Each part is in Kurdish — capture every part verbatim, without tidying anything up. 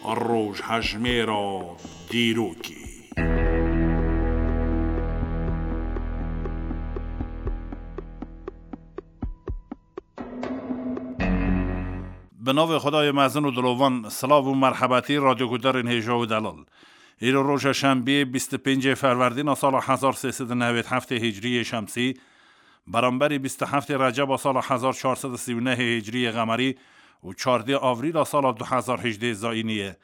Rojhejmêra dîrokê. Bi navê Xwedayê mezin û dilovan, silav û merhebetî radyoguhdarên hêja û delal. Îro roja şembiyê bîst û pêncê ferwerdîna sala hezar sê sed û newêd heftê hicriyê şemsî, beramberî bîst û heftê receba sala hezar çar sed û sî û nehê hicriyê qemerî û çardê avrîla sala du hezar hejdê zayînî ye.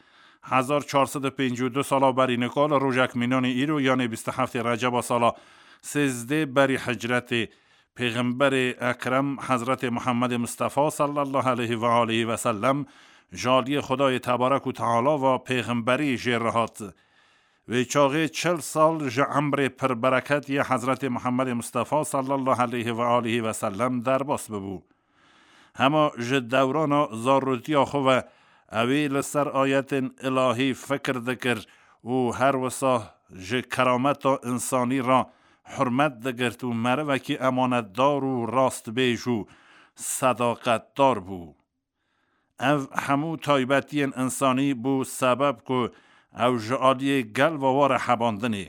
Hezar çar sed û pêncî û du sala berî nika li rojek mînanî îro, yanê bîst û heftê receba sala sêzdê berî hicretê, Pêxemberê Ekrem Hezretê Muhammedê Mustafa sallallahu aleyhi ve aleyhi ve sellem ji aliyê Xwedayê Tebarek û Teala ve pêxemberî jê re hat. Wê çaxê çil sal ji emrê pir bereket yê Hezretê Muhammedê Mustafa sallallahu aleyhi ve aleyhi ve sellem derbas bibû. Hema ji dewrana zarotiya xwe ve ew ê li ser ayetên ilahî fikir dikir û her wisa ji kerameta însanî re hurmet digirt û merivekî emanetdar û rastbêj û sedaqetdar bû. Ev hemû taybetiyên însanî bû sebeb ku ew ji aliyê gel ve were hebandinê.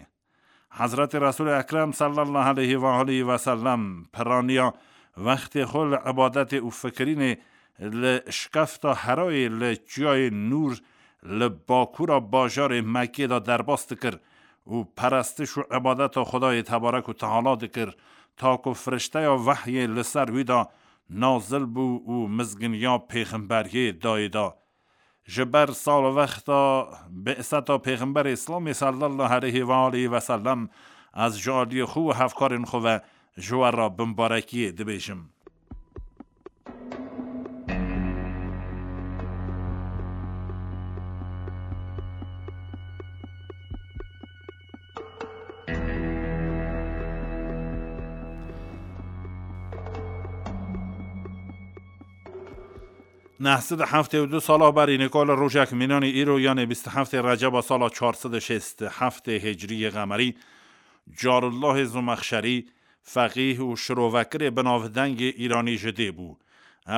Hezretê Resûlê Ekrem sallallahu aleyhi ve aleyhi ve sellem piraniya wextê xwe li ibadetê û fikirînê li şikefta Herayê li çiyayê Nûr li bakûra bajarê Mekkê de derbas dikir û perestiş û ibadeta Xwedayê Tebarek û Teala dikir, ta ku firişteya wehyê li ser wî de nazil bû û mizginiya pêxemberiyê dayê da. Ji ber salwexta bi'seta Pêxemberê Îslamê sallallahu aleyhi ve aleyhi ve sellem ez ji aliyê xwe û hevkarên xwe ve ji we re bimbarekiyê dibêjim. Neh sed û heftê û du sala berî nika li rojek mînanî îro, yanê bîst û heftê receba sala çar sed û şêst û heftê hicriyê qemerî, Carullahê Zomexşerî, feqîh û şirovekirê binavdengê îranî ji dê bû.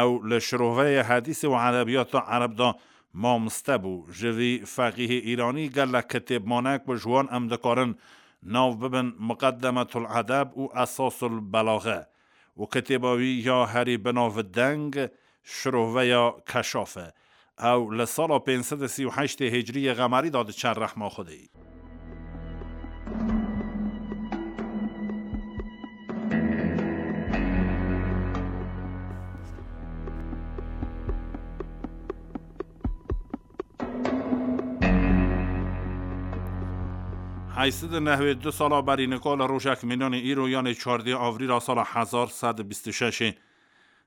Ew li şiroveyê hedîsê û edebiyata ereb de mamoste bû. Ji vî feqîhê îranî gelek kitêb mane ku ji wan em dikarin nav bibin Muqeddemetul Edeb û Esasul Belaxe û kitêba wî ya herî binavdeng Şiroveya Keşaf e. Ew li sala pênc sed û sî û heştê hicriyê qemerî de diçe rehma Xwedê. Heyşt sed û nehwê du sala berî nika li rojek mînanê îro, yanê çardê avrîla sala hezar sed û bîst û şeşê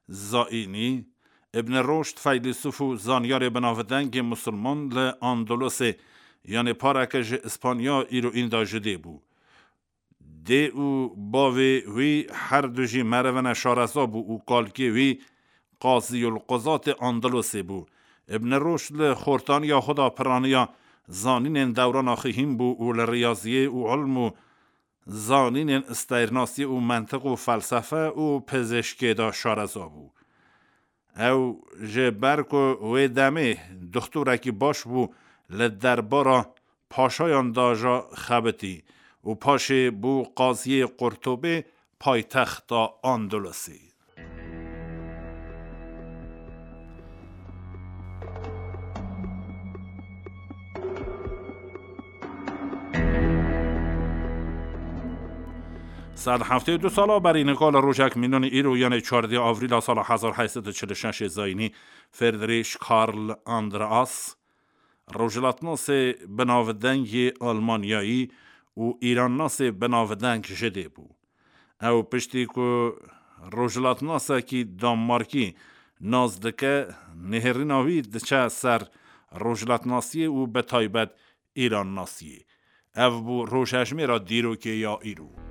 zayînî, Ibn Roşd, feylesûf û zanyarê binavdengê misilman li Andalusê, yanê pareke ji Îspanya îro înda ji dê bû. Dê û bavê wî her du jî merivine şareza bû û kalkê wî Qaziyul Quzatê Andalusê bû. Ibn Roşd li xortaniya xwe de piraniya zanînên dewrana xihîn bû û li riyaziyê û ilm û zanînên isteyrnasî û mentiq û felsefe û pizîşkê de şareza bû. Ew ji ber ku wê demê doxtorekî baş bû, li derbara paşayan de jî xebitî û paşê bû qaziyê Qurtubê, paytexta Andalusê. Sed heftê û du sala berî nika li rojek mînanî îro, yanê çardê avrîla sala hezar heyşt sed û çil û şeş zayînî, Friedrich Karl Andreas, rojhilatnasê binavdeng yê Almanyayî û îrannasê binavdeng ji dê bû. Ew piştî ku rojhilatnasekî Danmarkî nas dike, nihêrîna wî diçe ser rojhilatnasiyê û bi taybet îrannasiyê. Ev bû rojhejmêra dîrokê ya îro.